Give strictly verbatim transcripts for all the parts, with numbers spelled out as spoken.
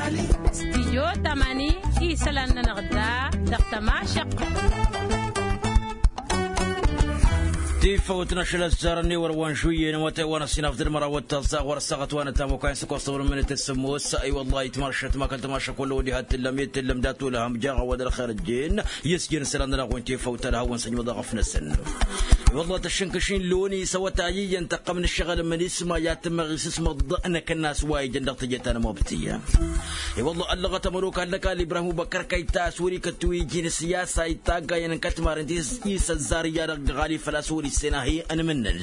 Stijyo tămani isălan-nănăɣ da dăɣ-tămašăqqet. Tifăwt n-ašăl ăzzarăn i-wăr wa n-žuyyen wa tăywan ăsinaf d-ălmărawăt tăẓẓaɣ wăr ăssaɣăt wa n-ătamăkwa n-săkost tăwăr n-minit s-sămmos. I-wăllah itmăršăt ma kăl-tămašăk wălla odi hat-tǝllăm i-tǝllăm dat-olăhăm jaɣ a-wa d-ălxer ăjjeen. Yăsjin isălan-nănăɣ wa n-tifăwt ad-hawăn-săjmăḍ aɣăf-năsăn. I-wăllah tăššǝnkăš-in loni s-awătay iyyăn tăqqăm n-ǝššăɣǝl n-isma i-ad-tǝmmeɣ isǝsmăḍ n-akănnas wa ijăn dăɣ-teje ta n-amabtǝy. I-wăllah ăllăɣăt ămănokal n-ăkall ibrahim ubăkkăr kăy-ta a-s wăr-ikăt wi iji n-ǝssiyasa i-taggayăn n-kătmaren ti s-isăzzar iyyăn dăɣ-ɣali făl-a-s wăr-issen ahi ănmǝnnǝl.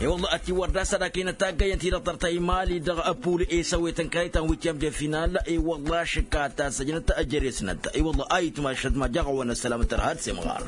I-wăllah ătiwăr d-asădak-in taggayăn-ti-dăɣ tărtăy mali dăɣ-ăpul esăwet n-kăray ta n-witiyăm de final. I-wăllah ašǝkka ta săjnăt ăjăres-năt i-wăllah a itmašăt ma jaɣ-awăn ăssălamăt ărhad s-imɣar.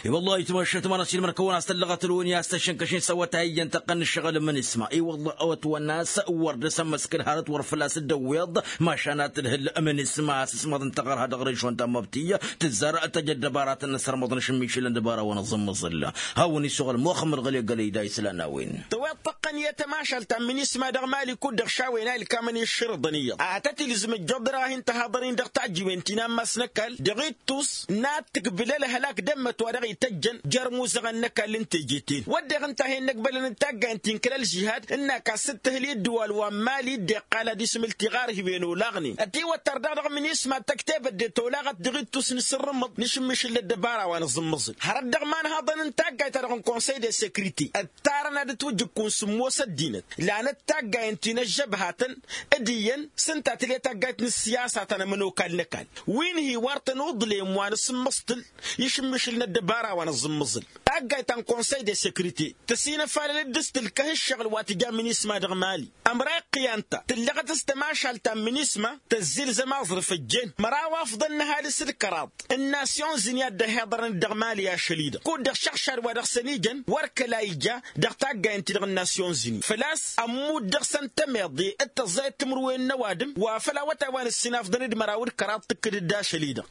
I-wăllah itmašăt ma n-asilmăr kăwăn-as tăllăɣăt ălwăni a-s tăššǝnkăšin s-awătay iyyăn tăqqăn n-ǝššăɣǝl n-isma i-wăllah awătwăn-as wăr dd-asămmăskǝl hărăt wăr făl-a-s dd-ăwweḍ. Mašan ad-tǝlhǝl ămǝn isma a-s ǝsmăḍ n-taɣărha dăɣ-režon ta n-mabtǝy tǝzzar tăjăt dăbaratăn n-asărmăḍ n-ašǝmmišǝl n-dăbara wa n-aẓǝmmăẓǝl. Hawăn-issoɣăl muxămmăd ɣăli ăggălăy da islan a-wen. Tăweḍ tăqqăn i-tămašalt ta n-minisma dăɣ-mali kud-dăɣ šawăyăn a ilkamăn i-ǝššărǝḍăn iyyăḍ a tăt-ilzǝm ǝjjuḍ dăɣ-ahin tăhaḍăr-in dăɣ-tajjiwen ti n-ammas n-ăkall dăɣ-ittus n-ad-tǝkbǝl ălhălak d-ămmăt wa dăɣ-ităjjăn jer-imuzăɣăn n-ăkall n-teje-ten wădden ǝnta a hin-năkbălăn d-taggayăn ti n-kăl-ălžihad ǝnn'-ak a-s t-tǝhǝl i-ǝddǝwal wa n-mali dd-iqqal ad-ismǝl tiɣarhiwen olaɣnen ătiwăttăr daɣ dăɣ-minisma d-tăktebăt de tolaɣăt dăɣ-ittus n-asǝrrǝmǝḍ n-ašǝmmišǝl n-ăddăbara wa n-aẓǝmmăẓǝl hărăt dăɣ-imanhaḍăn n-taggayt-ta-dăɣ n-konsăy de sekrite ǝttarăn ad-ǝtwǝjjǝkku n-sǝmmos ăddinăt lanăt taggayen ti n-ăžžăbhatăn d-iyyăn s-ǝnta tǝl'-e taggayt n-ǝssiyasa ta n-ămănokal n-ăkall wi n-hi-wăr tăn-uḍlem wa n-asǝmmăẓtǝl i-ašǝmmišǝl n-ăddăbara wa n-aẓǝmmăẓǝl. Taggayt ta n-konsăy de sekrite tăsinăfalăl d-dd-ǝstǝlkăh ǝššăɣǝl wa tǝja minisma dăɣ-mali ămrayăɣ kăy-anta tǝllăɣăt s-tămašalt ta n-minisma tăzzilzăm aẓrǝf ăjjeen măraw afḍăn n-ăhalǝs d-kăraḍ n-nasyon zǝni a dd-ăhiḍărăn-dd dăɣ-mali ašăl-i-dăɣ kud-dăɣ šăɣšad wa dăɣ-săn ijăn wăr kăla ija dăɣ-taggayăn-ti-dăɣ n-nasyon zǝni făl-a-s ămmut dăɣ-săn tămeḍe d-tăẓẓayăt timǝrwen n-ăwadǝm wa făl awătay wa n-ǝssinafḍăn d-măraw d-kăraḍ tǝkkǝd-dd ašăl-i-dăɣ.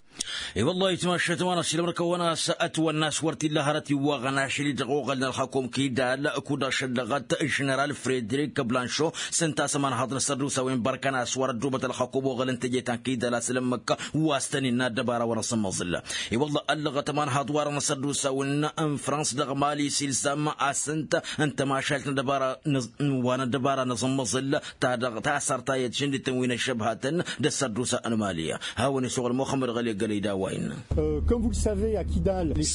I-wăllah itmašăt ma n-ašilmăr kăwăn-as ătwănna a-s wăr t-illa hărăt iwwaɣăn ašăl-i-dăɣ oɣălnen ălxakum kidal kud-dăɣ šăllăɣăt ženeral fredrik blanšo s-ǝnta a-s ămanhaḍ n-asăddusawen bărkăn a-s wăr-ăddoobăt ălxakum oɣăl n-teje ta n-kidal a-s ălămmăk wa s-tăn-innă ăddăbara wa n-asǝmmăẓǝl. I-wălla ăllăɣăt ămanhaḍ-wa-dăɣ n-asăddusawen n-frans dăɣ-mali s-ilzam a-s ǝnta n-tămašalt n-ăddăbara n-wa n-ăddăbara n-asǝmmăẓǝl ta dăɣ-tasărt ta i-ătšǝndităn wi n-ăššăbhatăn d-asăddusa n-mali. Hawăn-isuɣǝl muxămmăd ɣăli ăggălăy d-a-wa innă.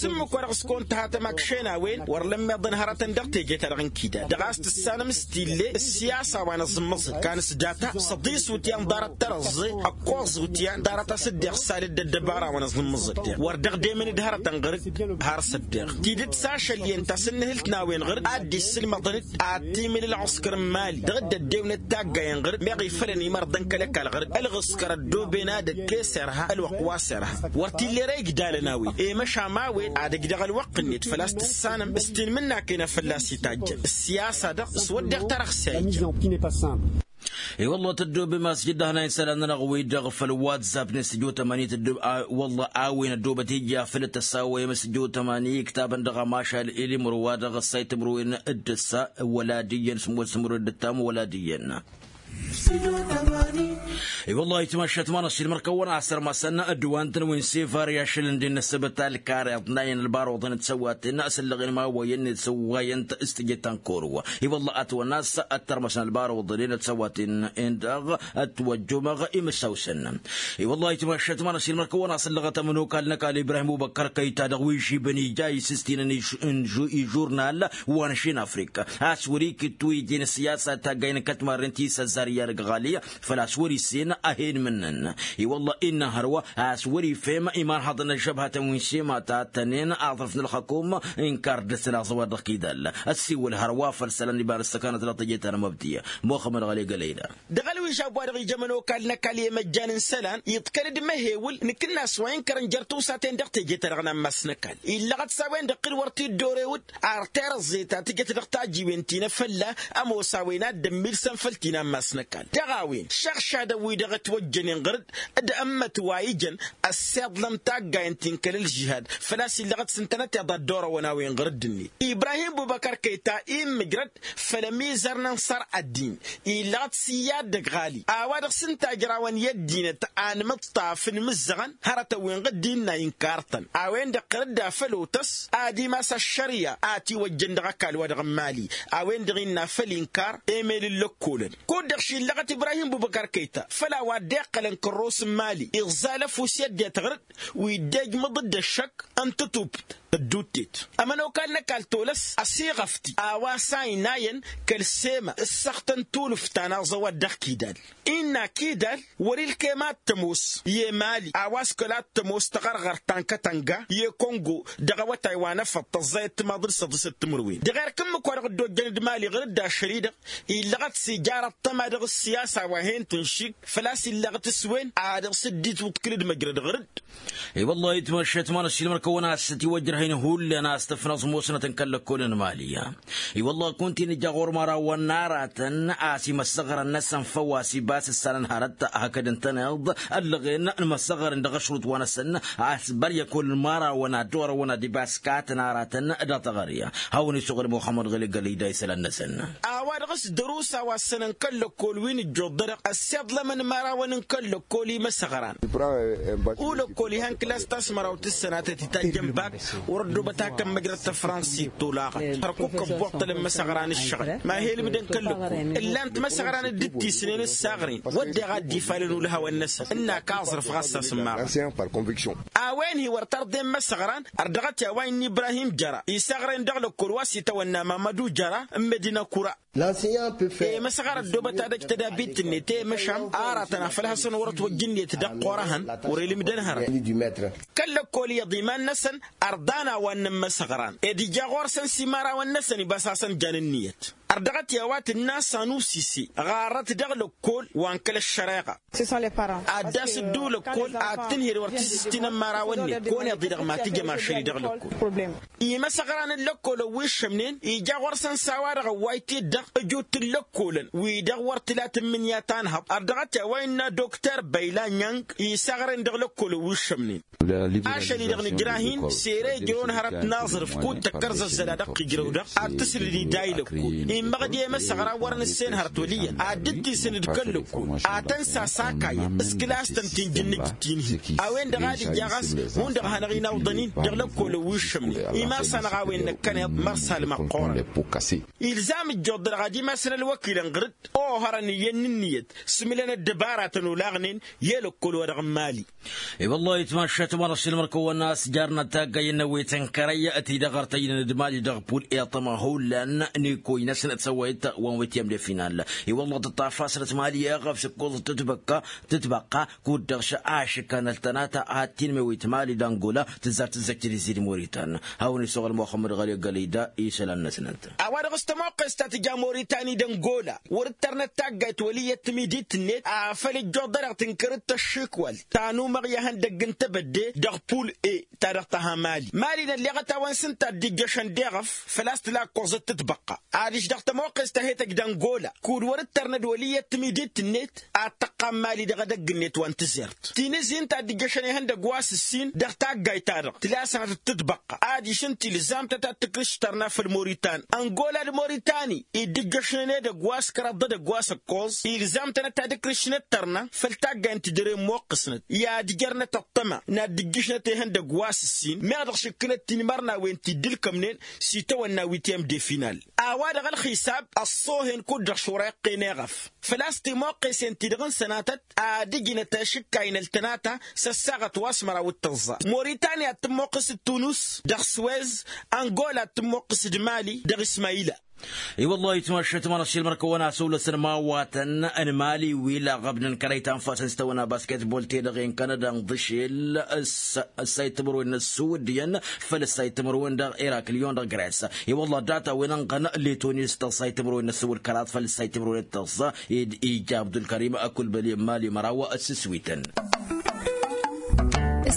Sǝmmǝk wa dăɣ-s kăwăn-tăhatăm akšen a-wen wăr lămmiḍăn hărătăn dăɣ-teje-ta-dăɣ n-kidal dăɣ-a-s tǝssanăm s-tille ǝssiyasa wa n-aẓǝmmăẓǝl kanǝs-data săḍis wǝtyan ḍarăt tărăẓẓe ăkkoẓ wǝtyan ḍarăt a-s dd-iɣsal dd-ăddăbara wa n-aẓǝmmăẓǝl deɣ wăr dăɣ-demăn d-hărătăn ɣăr-dd har s-ăddeɣ tidǝt s-ašăl-iyyăn ta s-ǝnnǝhǝlt n-a-wen ɣăr-dd ad-dd-isǝlmăḍăn-dd ad-timǝl ălɣǝskăr n-mali dăɣ-dd-ăddewnet taggayen ɣăr-dd meɣ ifălăn imărḍăn kăl-ăkall ɣăr-dd ălɣǝskăr ăddooben ad-ăkkes irha ălwăqq wa s-irha wăr t-illa ere igdalăn a-wen i-măšan a-wen ad-ǝjdăɣ ălwăqq-net făl-a-s tǝssanăm s-tinmǝnnaken a fălla-s itajjăn ăssiyasa-dăɣ s-wădden tarăɣse a ija. I-wălla tăddoobem a-s jǝddah n-a isălan-nănăɣ-wi-dăɣ făll-whatsapp-net s-ǝjot ămani tăddoobem a-s wălla a-wen ăddoobăt ija făll-tăsawăyăm s-ǝjot ămani iktabăn dăɣ-amašal ilimro wa dăɣ-ăssay timǝrwen d-ǝssa wăla d-iyyăn s-ămoos timǝrwen d-ǝttam wăla d-iyyăn. I-wălla itmašat ma n-ašilmăr kăwăn-asărmasăn ădduwantăn wi n-sevar i-ašăl n-dd-innă ăssăbăt alkar iḍnayăn ălbaruḍăn d-săwaten s-ǝllăɣen ma wăyăn d-săwwayăn s-tǝjăt ta n-korowa. I-wălla ătwănna a-s ăttărmăsăn ălbaruḍăn d-săwaten n-dăɣ ătwăjjumăɣ imǝssaw-săn. I-wălla itmašat ma n-ašilmăr kăwăn-asăllăɣăt ămănokal n-ăkall ibrahim ubăkkăr kăyta dăɣ-wi žibăn ija isǝstinăn ižurnal wa n-ašin afrika a-s wăr-ikǝttu iji n-ăssiyasa taggay n-kătmarren ti s-ăzzar i-ad-ăgg ɣali făl-a-s wăr-issen a hen-mǝnnăn. I-wălla innă hărwa a-s wăr-ifhem imanhăḍăn n-ăžžăbhatăn wi n-šema ta tănen aḍrǝf n-ălxăkum inkar dăr-săn aẓăwar dăɣ-kidal ăssiwǝl hărwa făll-isălan iba n-ăssăkanăt dăɣ-teje ta n-amăbdiya. Muxămmăd ɣăli gălăyda. Dăɣ-ălwižab wa dăɣ-ija ămănokal n-ăkall i-măjjan n-isălan iḍkăl-dd mehewǝl nǝkǝnnas wa inkărăn jer-tiwsaten dăɣ-teje-ta-dăɣ n-ammas n-ăkall illăɣăt s-a-wen-dăɣ kăl-wăr t-dd-orewǝd ar terăẓẓe ta tǝjăt dăɣ-tajiwen ti n-afălla ămoos a-wen ad-dd-ămmilsăn făll-ti n-ammas n-ăkall dăɣ-a-wen šăɣšadăn. wi-dăɣ ătwăjjănen ɣăr-dd d-ămmăt wa ijăn ăssiḍlăm taggayen ti n-kăl-ălžihad. Făl-a-s illăɣăt s-ǝntănăteḍ ad-dd-orăwăn a-wen ɣăr-dd-net ibrahim bubăkăr kăyta immǝjrăd făll-ămizăr n-ănṣăr ăddin. Illăɣăt s-iyyă ad-dd-ăgg ɣali a-wa dăɣ-s ǝnta ǝjrawăn i-ăddinăt anmǝṭṭaf n-imǝzzăɣăn hărătăn-wen ɣǝddin n-a inkar-tăn a-wen-dăɣ tărǝdda făll-otăs ad-imas ăššărya a ătiwăjjăn dăɣ-ăkall-wa-dăɣ n-imali. A-wen-dăɣ innă făll-inkar emel n-lăkkolăn kud-dăɣ šillăɣăt ibrahim bubăkăr kăyta făll-a-wa dd-iqqălăn kărros n-imali iẓẓal ăfuss i-ăddinăt ɣăr-dd wi dd-ejmăḍ-dd ăššăk n-tătubt ădduttet. Ămănokal n-ăkall tolăs ăsiɣăfti a-wa s-a inayăn kăl-sema ǝssăɣtăn tulǝft ta n-aẓăwad dăɣ-kidal. Innă kidal wăr-ilkem ad-tămoos i-emali a-wa s-kăla t-tămoos taɣărɣărt ta n-kătănga i-kongo dăɣ-awătay wa n-efăḍ tăẓẓayăt timaḍ d-săḍisăt timǝrwen dăɣ-erk ǝmmǝk wa dăɣ-dd-ojjăn d-imali ɣur-dd ašăl-i-dăɣ. Illăɣăt s-ijar ăṭṭăma dăɣ-ǝssiyasa wa hen-tǝnšig făl-a-s illăɣăt s-wen a dăɣ-s dd-itwǝḍkǝl d-măjrăd ɣur-dd. I-wăllah itmăššăt ma n-ăššilmăr-kăwăn a-s ătiwăjrăhăn hullan a-s tǝfnăẓ musnăt n-kăl-lăkkolăn n-imali. I-wăllah kunta-i nǝja ɣur-imărawăn n-aratăn a-s imăssăɣrăn-năsăn făw a-s ibas ǝssanăn hărăt hakd ǝntăneḍ ăllăɣen n-imăssăɣrăn dăɣ-ašrut wa-năsăn a-s băr i-ăkol n-imărawăn ad-orăwăn ad-ibas katăn aratăn. Dăɣ-taɣăre hawăn-isuɣǝl muxămmăd ɣǝli gălida isălan-năsăn. A-wa-dăɣ s-dăr-usa wa ǝssănăn kăl-lăkkol wi n-ǝjjuḍ-dăɣ ăssiḍlămăn imărawăn n-kăl-lăkkol imăsăɣran. Ulăkkol ihăn kǝlas ta s-măraw tǝssănatăt itajjăn bak wăr-ăddobăt hak ămmăjrăd tăfrănsit tolaɣăt hărkuk ăbboṭṭălăn imăsăɣran ǝššăɣǝl ma he-ǝlmǝdăn kăl-lăkkol ǝllan-t imăsăɣran dd-ǝttisnen s-aɣren wădden a dd-ifalăn ulhawăn-năsăn ǝnn'-ak aẓrǝf ɣas a-s ǝmmaɣăn. A-wen-hi wăr tărḍen imăsăɣran. Ărdăɣăt i-a-wa innă ibrahim jăra isaɣren dăɣ-lăkkol wa s-itawănna mamădu jăra n-medina kura. Emăsăɣar ăddoobăt ad-ăj tădabit-net i-măšam aratăn afăl hasăn-wăr-ătwăjj ǝnniyăt dăɣ-qorăhăn wăr-ilǝmdăn hărăt. Kăl-lăkkol iyyăḍ iman-năsăn ărḍan a-wa ǝnnăn imăsăɣran ed ija ɣur-săn s-imărawăn-năsăn ibas hasăn-jan ǝnniyăt. Ărdăɣăt i-a-wa tǝnna sanusise ɣarrăt dăɣ-lăkkol wa n-kăl-ăššăreɣa. Ad-dd-asǝddu lăkkol ad-tǝnhǝd wăr t-sǝstinăn imărawăn-net kăwăn-iḍǝy dăɣ-ma tǝjăm ašăl-i dăɣ-lăkkol. Imăsăɣran n-lăkkolăn wi ǝššămnen ija ɣur-săn s-a-wa-dăɣ ăwwayt-dd-dăɣ ǝjut n-lăkkolăn wi-dăɣ wăr tǝla tǝmmǝnǝya ta n-hăḍ ărdăɣăt i-a-wa innă dokter băyla ñang isaɣren dăɣ-lăkkolăn wi ǝššămnen. Ašăl-i-dăɣ nǝjrah-in sere ijrăwăn hărăt n-aẓrǝf kud-tăkkăr zăzzăla dăɣ-t ijrăw-dăɣ ad-tǝslǝd iday lăkkol. Immăɣ-dd i-măsăɣra wăr nǝssen hărăt wăl' iyyăn ad-dd-tisǝn d-kăl-lăkkol ad-tăn-sasakayăn s-kǝlas-tăn ti n-jǝnnǝj d-tinhi. A-wen-dăɣ ad-ija ɣas hundăɣ hanăɣ-inawḍăn-in dăɣ-lăkkolăn wi ǝššămnen imas-anăɣ a-wen năkkăneḍ mărsal măqqoorăn. Ilzam ǝjjuḍ-dăɣ ad-imasăn ălwăkilăn ɣǝr-dd ohărăn iyyăn n-ǝnniyăt s-imǝlăn ăddăbaratăn olaɣnen i-lăkkol wa dăɣ-n mali. I-wăllah itmašat măra s-ilmăr-kăwăn a-s jarnăt taggay n-awet n-kărăy ti-dăɣ ărtăynen d-mali dăɣ-pul iṭṭăma hullan n-ikoy-năsnăt s-ăwet wa n-wet i-ămde final. I-wăllah tǝṭṭaf-asnăt mali eɣăf s-ǝkkoẓăt tǝtbăkka tǝtbăqqa kud-dăɣ šăɣ ašǝkkan ăltănata ad-tinmewit mali d-angola tǝzzar tǝzzăjt d-izi d-moritan. Hawăn-isuɣǝl muxămmăd ɣăli gălida isălan-năsnăt. A-wa dăɣ-s tămoqqes ta tǝja moritani d-angola wăr-dd-tărnăt taggayt wăl' iyyăt timidit-net afăl ǝjjuḍ-dăɣ tǝnkăr-dd tăššikwalt ta n-umăɣ i-ihăndăgg n-tebădde dăɣ-pul e ta dăɣ-tăha mali mali n-ălleɣăt a-wen s-ǝnta a dd-ijjăšăn d-eɣăf. Făl-a-s tǝla ǝkkoẓăt tǝtbăqqa adiš dăɣ-tămoqqes ta he-tăj d-angola kud-wăr-dd-tărnăd wăl' iyyăt timidit-net ad-tăqqam mali dăɣ-edăgg-net wa n-tǝzert. Tinǝzin ta dd-ǝjjăšăn ihăndăgg wa s-ǝssin dăɣ-taggayt-ta-dăɣ tǝla sănatăt tǝtbăqqa adiš ǝnta ilzam-tăt ad-tǝkrǝš tărna făll-moritan angola d-moritani i dd-ǝjjăšnen edăgg wa s-kăraḍ d-edăgg wa s-ǝkkoẓ ilzam-tănăt ad-ǝkrǝšnet tărna făll-taggay n-tidăre n-imoqqǝsnăt i-ad-ǝjărnăt ăṭṭăma n-ad-dd-ǝjjǝšnăt ihăndăgg wa s-ǝssin meɣ dăɣ-šǝkkǝnăt tinmărnawen ti dd-ǝlkămnen s-itawănna wi t-i-ămde final. A-wa-dăɣ ălxisab ăṣṣoohen kud-dăɣ šura iqqen eɣăf făl-a-s timoqqesen-ti-dăɣ n-sănatăt ad-ǝjnăt ašǝkkay n-ăltănata s-ăssaɣăt wa s-măraw d-tăẓẓa moritani ad-tǝmmoqqǝs d-tunus dăɣ-swez angola ad-tǝmmoqqǝs d-mali dăɣ-ismayila. I-wăllah itmašat măra s-ilmăr-kăwăn asăwlăsăn imawatăn n-mali wi laɣăbnăn kărăy ta n-fasăn s-tawănna basketbol-te-dăɣ i-n kanada n-ḍǝšel ǝssa-i timǝrwen n-ăssuwǝddǝyăn făll-ǝssa-i timǝrwen dăɣ-irakliyon dăɣ-gres. I-wăllah data-wen ănɣăn letoni s-tăẓẓa i-timǝrwen n-ăssuwǝd kăraḍ făll-ǝssa i-timǝrwen d-tăẓẓa. Ija abdulkărim ăkulbăli n-mali măraw s-ǝswităn.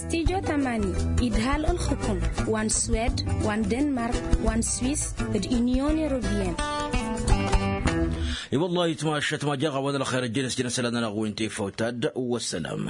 Studyo tamani idhal ǝlxǝkǝm wa n-swed wa n-denmark wa n-swis d-inyon europeyăn. I-wăllah itmašat ma jaɣ-a-wa n-ălxer ăjjăn s-jăn isălan-nănăɣ wi n-tifawt ta dd-wăssălam.